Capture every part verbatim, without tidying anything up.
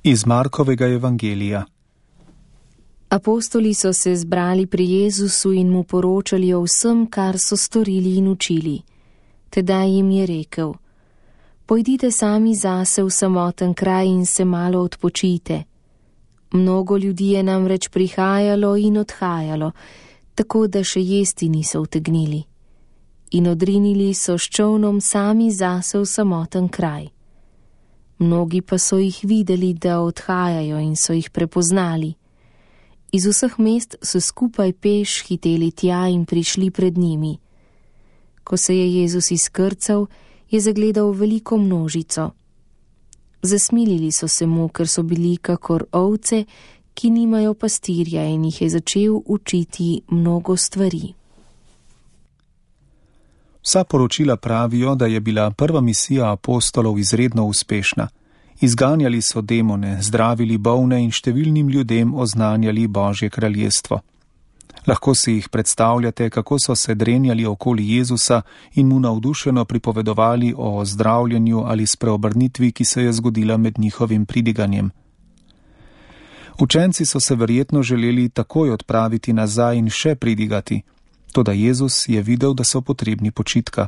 Iz Markovega evangelija. Apostoli so se zbrali pri Jezusu in mu poročali o vsem, kar so storili in učili. Tedaj jim je rekel: Pojdite sami zase v samoten kraj in se malo odpočijte. Mnogo ljudi je namreč prihajalo in odhajalo, tako da še jesti niso utegnili. In odrinili so s čolnom sami zase v samoten kraj. Mnogi pa so jih videli, da odhajajo, in so jih prepoznali. Iz vseh mest so skupaj peš hiteli tja in prišli pred njimi. Ko se je Jezus izkrcal, je zagledal veliko množico. Zasmilili so se mu, ker so bili kakor ovce, ki nimajo pastirja, in jih je začel učiti mnogo stvari. Vsa poročila pravijo, da je bila prva misija apostolov izredno uspešna. Izganjali so demone, zdravili bolne in številnim ljudem oznanjali Božje kraljestvo. Lahko si jih predstavljate, kako so se drenjali okoli Jezusa in mu navdušeno pripovedovali o ozdravljenju ali spreobrnitvi, ki se je zgodila med njihovim pridiganjem. Učenci so se verjetno želeli takoj odpraviti nazaj in še pridigati, toda Jezus je videl, da so potrebni počitka.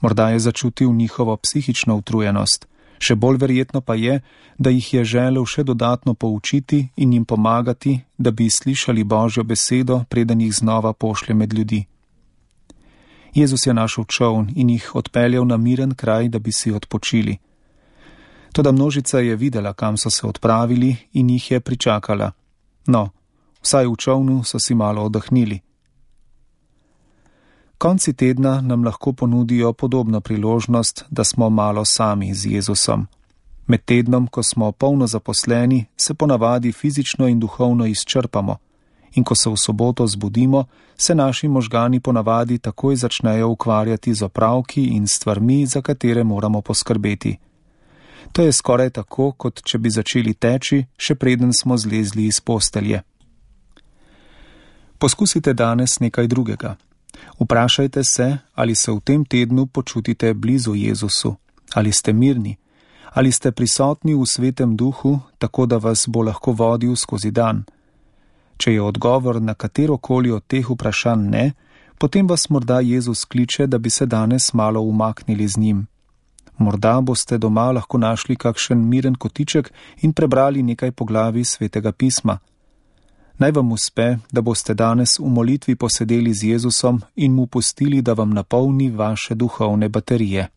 Morda je začutil njihovo psihično utrujenost. Še bolj verjetno pa je, da jih je želel še dodatno poučiti in jim pomagati, da bi slišali Božjo besedo, preden jih znova pošlje med ljudi. Jezus je našel čoln in jih odpeljal na miren kraj, da bi si odpočili. Toda množica je videla, kam so se odpravili, in jih je pričakala. No, vsaj v čolnu so si malo oddahnili. Konci tedna nam lahko ponudijo podobno priložnost, da smo malo sami z Jezusom. Med tednom, ko smo polno zaposleni, se ponavadi fizično in duhovno izčrpamo, in ko se v soboto zbudimo, se naši možgani ponavadi takoj začnejo ukvarjati z opravki in stvarmi, za katere moramo poskrbeti. To je skoraj tako, kot če bi začeli teči, še preden smo zlezli iz postelje. Poskusite danes nekaj drugega. Vprašajte se, ali se v tem tednu počutite blizu Jezusu, ali ste mirni, ali ste prisotni v Svetem Duhu, tako da vas bo lahko vodil skozi dan. Če je odgovor na katerokoli od teh vprašanj ne, potem vas morda Jezus kliče, da bi se danes malo umaknili z njim. Morda boste doma lahko našli kakšen miren kotiček in prebrali nekaj poglavij Svetega pisma. Naj vam uspe, da boste danes v molitvi posedeli z Jezusom in mu pustili, da vam napolni vaše duhovne baterije.